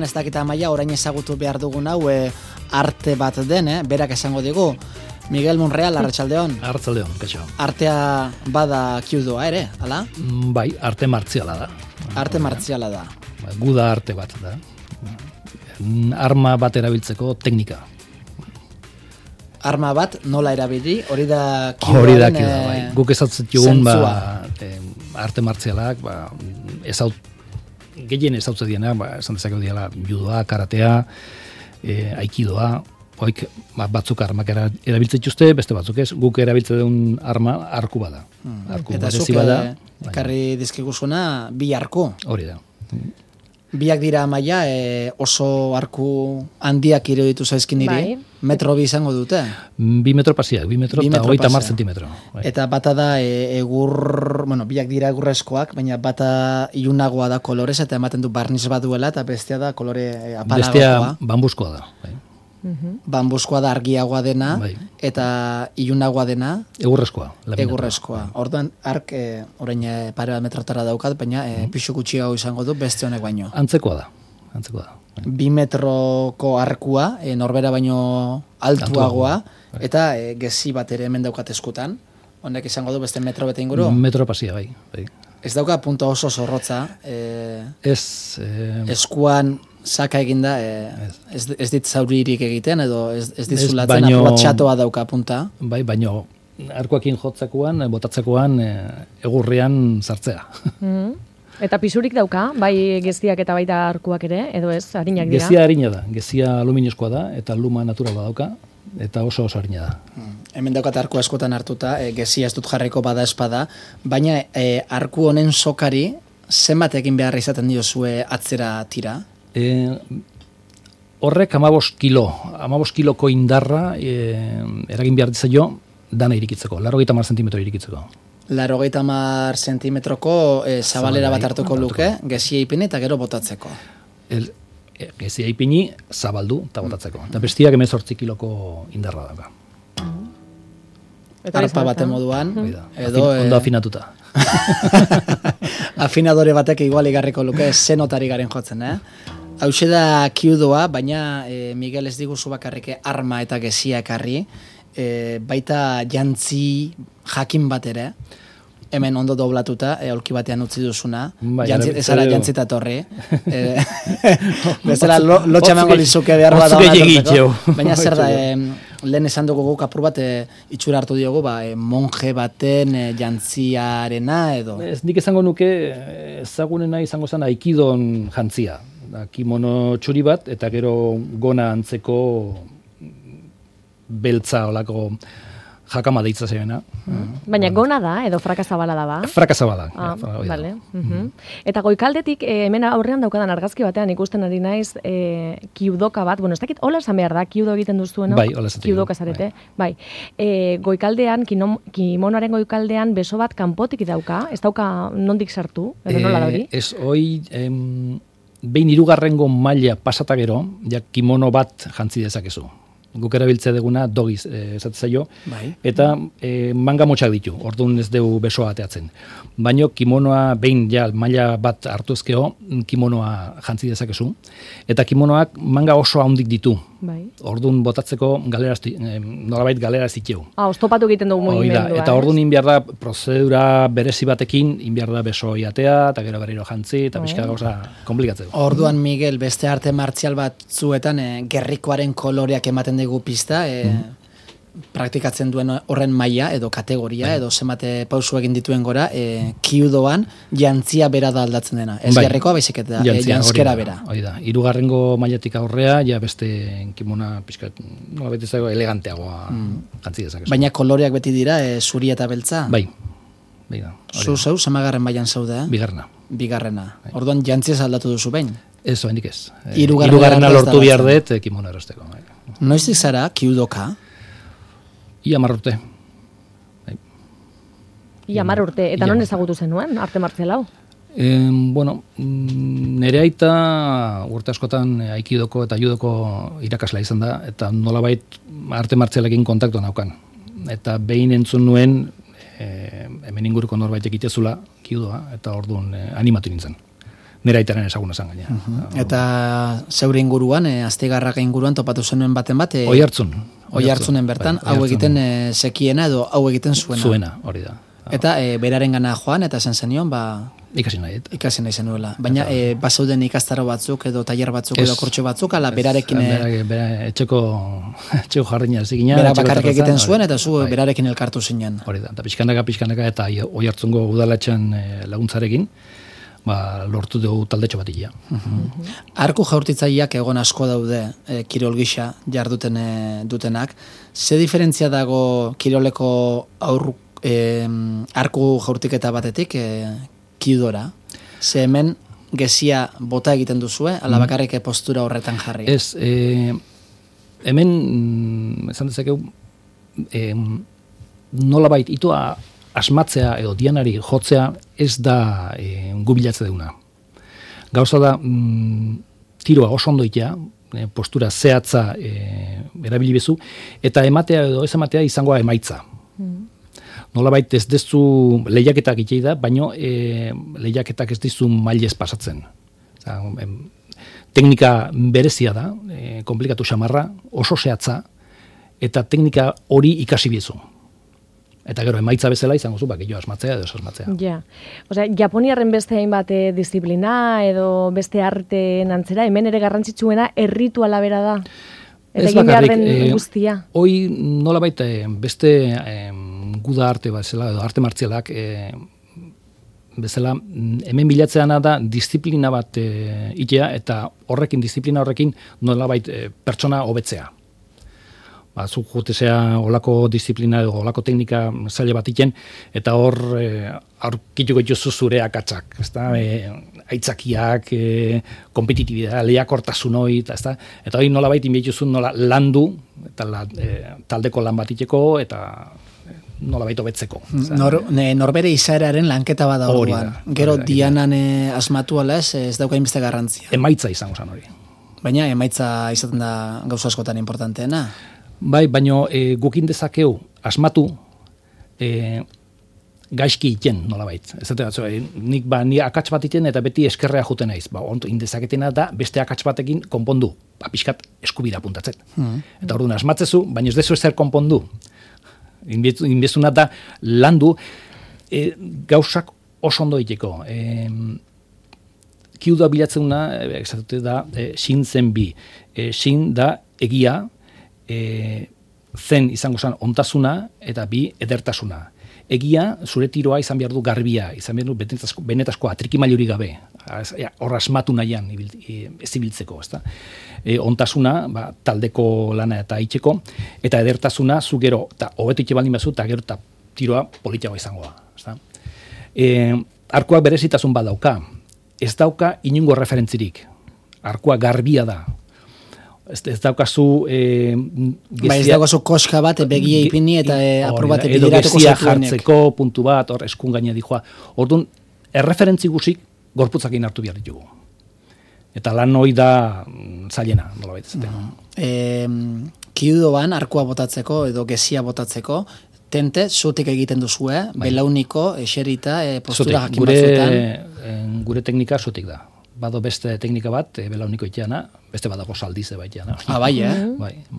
Ez dakita maila orain ezagutu behar dugun hau arte bat den, berak esango digu. Miguel Monreal, arratsaldeon. Arratsaldeon, kaixo. Artea bada kyudoa ere, hala? Bai, arte martziala da. Arte martziala da. Guda arte bat da. Arma bat erabiltzeko teknika. Arma bat nola erabili, hori da kyudoaren hori da kyudoa, bai. Guk ezatzen dugun arte martzialak, gehien ezautze diena, esan dezakegu diela judoa, karatea, aikidoa, batzuk armak erabiltzen dituzte, beste batzuk ez, guk erabiltzen duen arma arku bada. Eta zuk ekarri dizkiguzuna bi arku. Hori da. Biak dira maila oso arku handiak iruditu zaizkin niri, metro bi izango dute? 2 metro pasiak, 2 metro eta 30 zentimetro. Eta bata da biak dira egurrezkoak, baina bata ilunagoa da kolorez eta ematen du barniz bat duela eta bestea da kolore apalagoa. Bestea bambuskoa da. Bambuskoa da argiagoa dena, eta ilunagoa dena egurrezkoa. Orduan ark orain pare bat metrotara daukat, baina pixu gutxiago izango du beste honek baino. Antzekoa da. 2 metroko arkua, norbera baino altuagoa, eta gezi bat ere hemen daukat eskutan. Honek izango du beste metro bete inguru? Metro pasia, bai. Ez dauka punto oso zorrotza. Eskuan saka eginda, ez dit zauririk egiten, edo ez dizulatzen, aplatxatoa dauka punta. Bai, baino, arkuakin jotzakoan, botatzakoan, egurrian sartzea. Eta pisurik dauka, bai geziak eta baita arkuak ere, edo ez, harinak dira? Gezia harina da, gezia aluminioskoa da, eta luma naturala dauka, eta oso harina da. Hemen daukat arku askotan hartuta, gezia ez dut jarriko bada espada, baina arku honen sokari, zenbat egin behar izaten diozue atzera tira? Horrek 15 kiloko indarra eragin behar dizaio dana irikitzeko, 80 zentimetro irikitzeko. 80 zentimetroko zabalera bat hartuko luke, gezia ipini eta gero botatzeko. Gezia ipini, zabaldu eta botatzeko. Eta bestiak 18 kiloko indarra dago. Arpa baten moduan. Ondo afinatuta. Afinadore batek igual igarriko luke zenotari garen jotzen, Hauxe da kyudoa, baina Miguel ez diguzu bakarrik arma eta gezia ekarri, baita jantzi jakin bat ere, hemen ondo doblatuta, aulki batean utzi duzuna, ezara jantzita torri. Bezala lotxamango lizuke behar bat da. Baina zer da, lehen esan dugu guk apur bat itxura hartu diogu, monje baten jantziarena edo. Ez nik esango nuke ezagunena izango zen aikidon jantzia. Kimono txuri bat, eta gero gona antzeko beltza olako jakama deitza zeena. Baina gona da, edo frakazabala da ba? Frakazabala. Vale. Eta goikaldetik, hemen aurrean daukadan argazki batean ikusten ari naiz kyudoka bat, ez dakit, hola esan behar da, kyudo egiten duzueno? Bai, hola esan. Kyudoka zarete. Bai. Goikaldean, kimonoaren goikaldean beso bat kanpotik dauka, ez dauka nondik sartu, edo nola da hori? Ez, hoi, behin 3. maila pasata gero, kimono bat jantzi dezakezu. Guk erabiltzea deguna dogiz esatzaio, eta manga motxak ditu, orduan ez dugu besoa ateatzen. Baina kimonoa behin maila bat hartu ezkeo, kimonoa jantzi dezakezu, eta kimonoak manga oso handik ditu. Orduan botatzeko nolabait galera ziteu. Oztopatu egiten dugu mugimendua. Eta orduan inbiar da prozedura berezi batekin, inbiar da beso iatea, eta gero berriro jantzi, eta pixka gauza komplikatzeu. Orduan, Miguel, beste arte martzial batzuetan gerrikoaren koloreak ematen dugu pista, praktikatzen duen horren maila edo kategoria edo zenbate pausu egin dituen gora, kyudoan jantzia bera da aldatzen dena. Ez gerrikoa baizik eta jantzkera bera. Hori da, 3. mailatik aurrea, beste kimona pixkat, nola beti zago, eleganteagoa jantzi dezakezu. Baina koloreak beti dira, zuri eta beltza? Bai. Zeu, zemagarren mailan zaude? Bigarrena. Orduan jantziaz aldatu duzu behin? Ez, oendik ez. 3. lortu behar dut kimono erosteko. Noiztik zara, kyudoka? Ia 10 urte. Ia 10 urte. Eta non ezagutu zenuen, arte martzial hau? Nere aita urte askotan aikidoko eta judoko irakasla izan da, eta nolabait arte martzialekin kontaktu naukan. Eta behin entzun nuen, hemen inguruko norbait egitezula, kyudoa, eta orduan animatu nintzen. nire aitaren ezaguna zan gaina. Eta zeure inguruan, Astigarraga inguruan topatu zenuen baten bat? Oihartzunen bertan, hau egiten sekiena edo hau egiten zuena. Zuena, hori da. Eta beraren gana joan, eta zen zenion, ikasi nahi zenuela. Baina, bazauden ikastaro batzuk edo tailer batzuk edo kortxo batzuk, ala berarekin... Etxeko jarrina zikina. Berak bakarrik egiten zuen, eta zu berarekin elkartu zinen. Hori da, eta pixkanaka, eta Oihartzungo udalatxan laguntzarekin, lortu dugu taldetxo bat ia. Arku jaurtitzaileak egon asko daude kirol gisa jarduten dutenak. Ze diferentzia dago kiroleko arku jaurtiketa batetik kiudora? Ze hemen gezia bota egiten duzue, ala bakarrik postura horretan jarri? Ez, hemen, esan dezakegu, nolabait itoa asmatzea edo dianari jotzea ez da gubilatze deuna. Gauza da, tiroa oso ondo itea, postura zehatza erabili bezu, eta ematea edo ez ematea izangoa emaitza. Nolabait ez dezu lehiaketak itei da, baino lehiaketak ez dizu mailez pasatzen. Teknika berezia da, komplikatu xamarra, oso zehatza, eta teknika hori ikasi biezu. Eta gero, emaitza bezala izango zu, gehiago asmatzea edo asmatzea. Ja. Osea, Japoniarren beste hainbat disiplina edo beste arteen antzera, hemen ere garrantzitsuena errituala bera da. Eta egin behar den guztia. Hoi nolabait beste guda arte bezala, edo arte martzialak bezala, hemen bilatzeana da disiplina bat itea, eta disiplina horrekin nolabait pertsona hobetzea. Zuk jutezea olako disiplina edo olako teknika zaila bat iten, eta hor aurkituko dituzu zure akatsak, aitzakiak, kompetitibidea, lehiakortasun hori, eta hori nolabait inbietuzun nola landu, eta taldeko lan bat iteko, eta nolabait hobetzeko. Norbere izaeraren lanketa bada orduan. Gero dianan asmatu ala ez dauka inbeste garrantzia. Emaitza izango zen hori. Baina emaitza izaten da gauza askotan importanteena. Bai, baino gukin dezakeu asmatu gaizki iten nolabait. Nik akats bat iten eta beti eskerrea juten naiz. Indezaketena da beste akats batekin konpondu. Pixkat eskubira puntatzen. Eta orduan asmatzezu, baina ez dezu ezer konpondu. Inbezuna da landu gauzak oso ondo iteko. Kiudoa bilatzeuna da sin zen bi. Sin da egia, zen izango zen ontasuna eta bi edertasuna. Egia, zure tiroa izan behar du garbia, izan behar du benetazko atrikimailuri gabe, hor asmatu nahian ez ibiltzeko. Ontasuna, taldeko lana eta itxeko, eta edertasuna zu gero, eta hobetu itxe baldin bazu, eta gero eta tiroa politiago izangoa. Arkuak berezitasun bat dauka, ez dauka inungo referentzirik. Arkua garbia da. Ez daukazu... ez daukazu koska bat, begia ipini eta aprobate bideratuko zatuenek. Edo gezia jartzeko puntu bat, hor eskun gaina dijoa. Orduan, erreferentzi guzik gorputzakin hartu behar ditugu. Eta lan hori da zailena, nola baita. Kiudoan, arkua botatzeko edo gezia botatzeko, tente, zutik egiten duzue, belauniko, eserita, postura jakin batzuetan. Gure teknika zutik da. Bado beste teknika bat, belauniko iteana, beste badago saldize baiteana. Bai,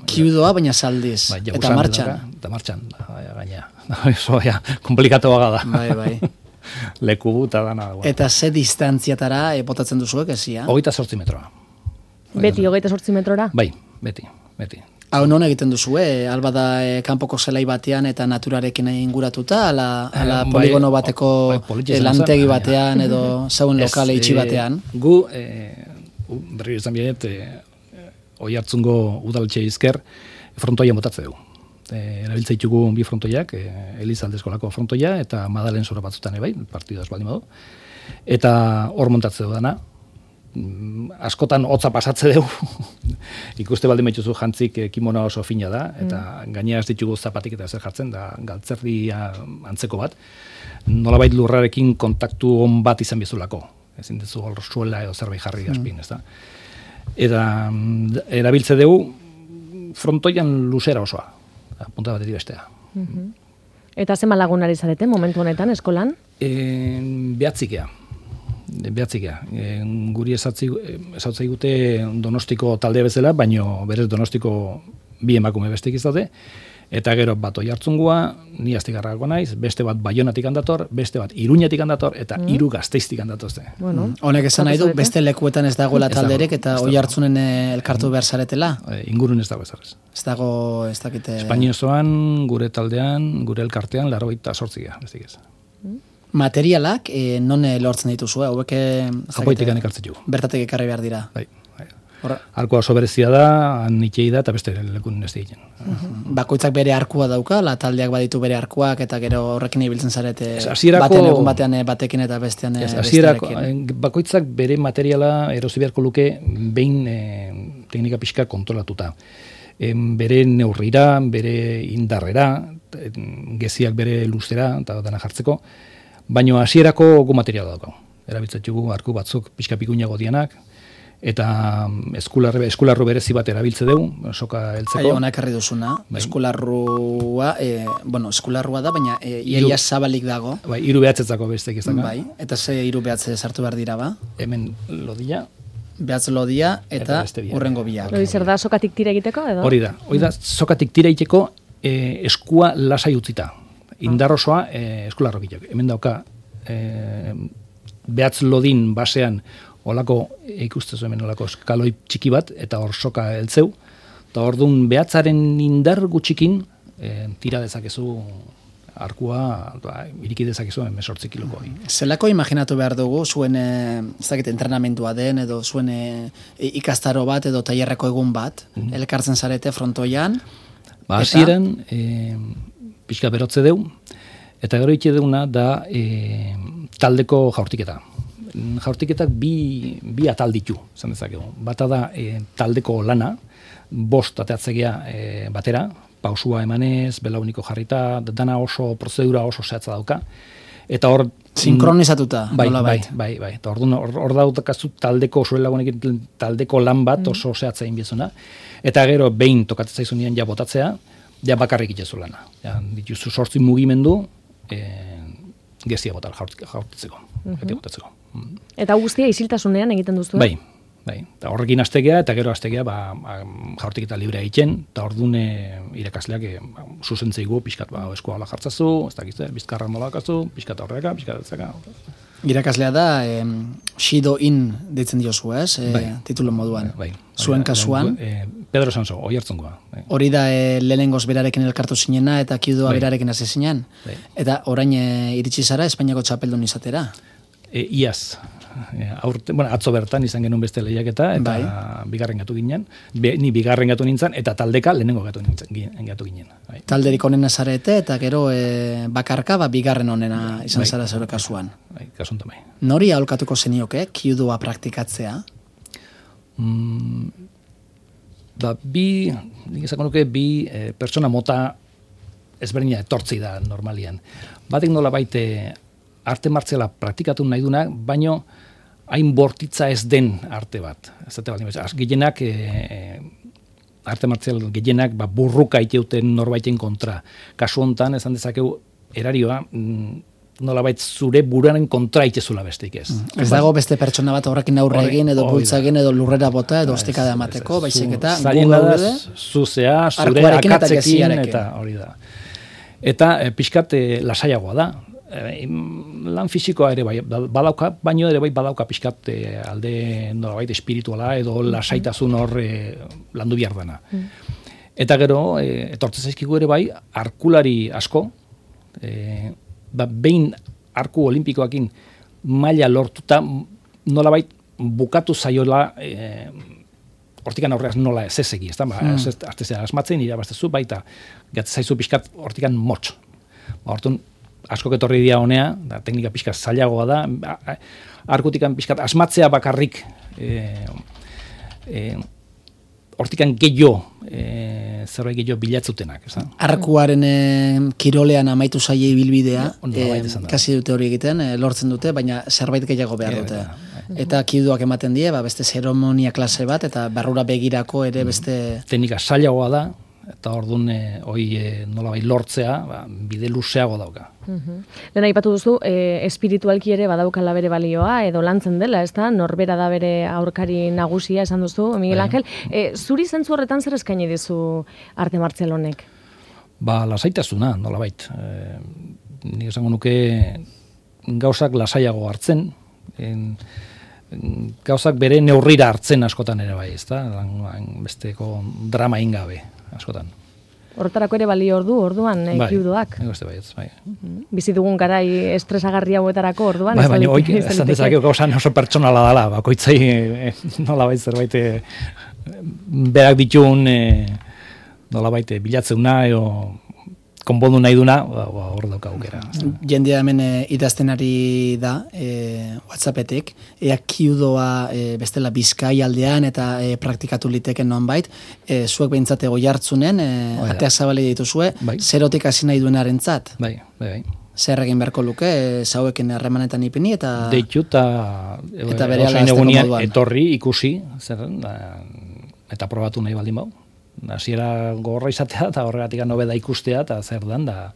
Kiudoa, baina saldiz. Eta martxan. Eta martxan, gaina. Komplikatu da. Bai. Leku eta dana. Eta ze distantziatara botatzen duzuek ezia? 28 metroa. Beti 28 metrora? Bai, beti. Hau non egiten duzue? Alba da kanpoko zelai batean eta naturarekin inguratuta, ala poligono bateko lantegi batean edo zauen lokale itxi batean? Gu, berri izan bienet, Oihartzungo udaletxe izker, frontoian botatze dugu. Erabiltza ditugu bi frontoiak, Elizaldezkolako frontoia eta Madalen zora batzutan bai, partidaz baldin badu. Eta hor montatze dugu dana. Askotan hotza pasatze dugu. Ikuste baldin baituzu jantzik kimono oso fina da, eta gainera ez ditugu zapatik eta zer jartzen, da galtzerdia antzeko bat. Nolabait lurrarekin kontaktu on bat izan bizulako. Ezin dezu hor suela edo zerbait jarri azpin, ez da. Eta erabiltze dugu frontoian luzera osoa, punta batetik bestea. Eta zenbat lagun ari zarete momentu honetan eskolan? Behatzikea. behatzikea. Guri esautzai gute Donostiko talde bezala, baino berez Donostiko bi emakume bestek izate, eta gero bat Oiartzungua, ni Astigarragako naiz, beste bat Baionatik handator, beste bat Iruñetik handator, eta 3 Gasteiztik handatozte. Bueno, honek esan nahi du, beste lekuetan ez dagoela talderek, eta Oiartzunen elkartu behar zaretela? Ingurun ez dago ezarez. Ez dago, ez dakite... Espainia osoan, gure taldean, gure elkartean, 88 bestik ez. Materialak, non lortzen dituzu, hauek... Japoitikan ekartzen jugu. Bertatik ekarri behar dira. Bai. Arkua oso berezia da, nitxei da, eta beste lekun ez egiten. Bakoitzak bere arkua dauka, la taldeak baditu bere arkuak, eta gero horrekin ibiltzen zarete batean egun batean batekin eta bestean bestearekin. Bakoitzak bere materiala erosi beharko luke behin teknika pixka kontrolatuta. Bere neurrira, bere indarrera, geziak bere luzera, eta dana jartzeko, baino hasierako gu materiala dauka. Erabiltzatugu arku batzuk pixka pikuinago dianak, eta eskularru berezi bat erabiltze dugu, soka heltzeko. Ona ekarri duzuna, eskularrua, eskularrua da, baina iaia zabalik dago. Bai, 3 behatzetzako bestek izan. Bai, eta ze 3 behatze sartu behar dira, ba? Hemen lodia. Behatz lodia, eta urrengo biak. Hori zer da, sokatik tira egiteko, edo? Hori da, sokatik tira egiteko eskua lasai utzita. Indarrosoa eskularro gileak. Hemen dauka, behatz lodin basean, olako, ikustezu hemen olako eskaloi txiki bat, eta hor soka heltzeu, eta hor dun behatzaren indar gutxikin, tira dezakezu arkua, iriki dezakezu 18 kiloko. Zelako imaginatu behar dugu, zuen, ez dakit, entrenamentua den, edo zuen ikastaro bat, edo tailerreko egun bat, elkartzen zarete frontoian? Hasieran, pixka berotze deu, eta gero itxe deuna da taldeko jaurtiketa. Jaurtiketak bi atal ditu, esan dezakegu. Bata da taldeko lana, 5 ateatzegea batera, pausua emanez, belauniko jarrita, dana oso, prozedura oso zehatza dauka. Eta hor... Sinkronizatuta, nola bait. Bai. Eta hor dautakazu taldeko osuelagunekin taldeko lan bat oso zehatza inbiezuna. Eta gero behin tokatzen zaizunean ja botatzea, ja bakarrik itxezu lana. Ja, dituzu 8 mugimendu, gezia botar jaurtitzeko. Eta guztia isiltasunean egiten duzu? Bai. Eta horrekin astegea, eta gero astegea jaurtiketa librea egiten, eta ordune irakasleak zuzentzeigu pixkat eskua hola jartzazu, ez dakizte, bizkarra nola akazu, pixkat horreka, pixkat etzaka. Irakaslea da, Shido In deitzen diozu, ez? Titulo moduan. Zuen kasuan. Pedro Sanso, Oiartzungoa. Hori da lehenengoz berarekin elkartu zinena, eta kiudoa berarekin hasi zinen. Eta orain iritsi zara Espainiako txapeldun izatera. Iaz. Atzo bertan izan genuen beste lehiaketa, eta bigarren gatu ginen. Ni bigarren gatu nintzen, eta taldeka lehenengo gatu ginen. Talderik onena zarete, eta gero bakarka bigarren onena izan zara zure kasuan. Kasuntan bai. Nori aholkatuko zenioke, kiudoa praktikatzea? Nik esako nuke, pertsona mota ezberdina etortzi da normalian. Batek nola baite arte martziala praktikatu nahi duna, baino hain bortitza ez den arte bat. Gehienak, arte martzial gehienak burruka iteuten norbaiten kontra. Kasu hontan, esan dezakegu, erarioa, nolabait zure buruaren kontra itezula besteik ez. Ez dago beste pertsona bat horrekin aurre egin, edo bultza egin, edo lurrera bota, edo ostikada emateko, baizik eta zailena da, zuzea, zure akatzekin, eta hori da. Eta pixkat lasaiagoa da. Lan fisikoa ere bai badauka, baino ere bai badauka pixkat alde nolabait espirituala edo lasaitasun hor landu behar dana. Eta gero, etortzen zaizkigu ere bai, arkulari asko, behin arku olimpikoakin maila lortuta nolabait bukatu zaiola hortikan aurreaz nola ez egi, ez da? Artezea asmatzen, irabaztezu, baita gatzaizu pixkat hortikan motx. Hortun, asko etorri dira honea, da teknika pixkat zailagoa da, arkutikan pixkat asmatzea bakarrik hortikan gehiago, zerbait gehiago bilatzutenak. Arkuaren kirolean amaitu zaie ibilbidea, kasi dute hori egiten, lortzen dute, baina zerbait gehiago behar dute. Eta kiudoak ematen die, beste zeremonia klase bat, eta barrura begirako ere beste... Teknika zailagoa da, eta orduan nolabait lortzea, bide luzeago dauka. Lehen aipatu duzu, espiritualki ere badaukala bere balioa, edo lantzen dela, ez da? Norbera da bere aurkari nagusia, esan duzu, Miguel Angel. Zuri zentzu horretan zer eskaini dizu arte martzial honek? Lasaitasuna, nolabait. Nik esango nuke gauzak lasaiago hartzen, gauzak bere neurrira hartzen askotan ere bai, ez da? Besteko drama ingabe, askotan. Horretarako ere balio orduan, kiudoak. Bai. Bizi dugun garai estresagarri hauetarako orduan. Baina hoik, esan dezakeo gauza oso pertsonala dela, bakoitzai nolabait zerbait berak ditun nolabait bilatzeuna edo konpondu nahi duna, hor dauka aukera. Jendea hemen idazten ari da, WhatsAppetik, ea kiudoa bestela Bizkai aldean eta praktikatu liteken nonbait, zuek behintzate Oiartzunen, ateak zabali dituzue, zerotik hasi nahi duenarentzat. Bai. Zer egin beharko luke, zauekin harremanetan ipini eta... Deitu eta bere alazteko moduan. Etorri, ikusi, eta probatu nahi baldin bau. Hasiera gogorra izatea eta horregatik nobeda ikustea eta zer dan da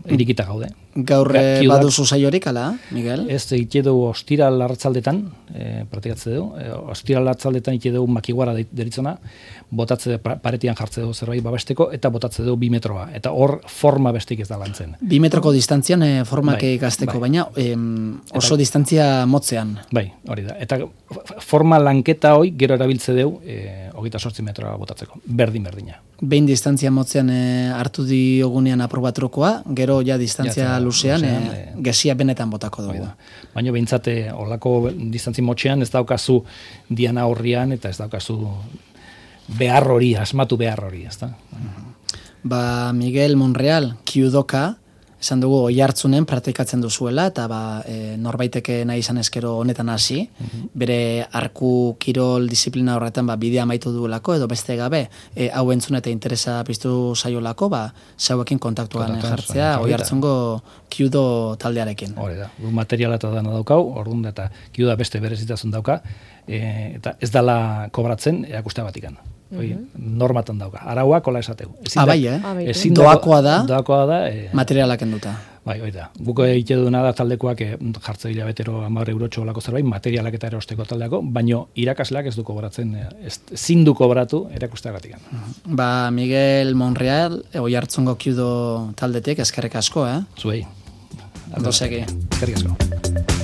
irikita gaude. Gaur baduzu saiorik, ala, Miguel? Ez, ite dugu ostiral arratzaldetan, praktikatze dugu, ostiral arratzaldetan ite dugu makiguara deritzona, botatze paretian jartze dugu zerbait babesteko, eta botatze dugu 2 metroa, eta hor forma bestik ez da lantzen. 2 metroko distantzian formak ikasteko, baina oso distantzia motzean. Bai, hori da. Eta forma lanketa hoi gero erabiltze dugu 28 metroa botatzeko, berdina. Behin distantzia motzean hartu diogunean aprobatrokoa, gero ja distantzia luzean, gesia benetan botako dugu. Baina behintzate, olako distantzi motxean ez daukazu diana horrian, eta ez daukazu behar hori, asmatu behar hori, ez da? Miguel Monreal, kiudoka, esan dugu Oiartzunen praktikatzen duzuela, eta norbaiteke nahi izan eskero honetan hasi, bere arku kirol disiplina horretan bidea amaitu duelako, edo beste gabe, hau entzun eta interesa piztu zaiolako, zauekin kontaktuan jartzea, Oiartzungo kiudo taldearekin. Hore da, materiala eta dana daukau, orduan eta kiuda beste berezitasun dauka, eta ez dala kobratzen erakustea batikan. Normatan dauka. Arauak hola esateu. Doakoa da, materialak enduta. Bai, hori da. Guko egite duna da taldekoak jartze hilabetero 10 eurotxo olako zerbait, materialak eta erosteko taldeako, baino irakasleak ez du kobratzen, ezin du kobratu erakusteagatik. Miguel Monreal, Oiartzungo kiudo taldetik, eskerrik asko, Zuei. Ondo segi. Eskerrik asko.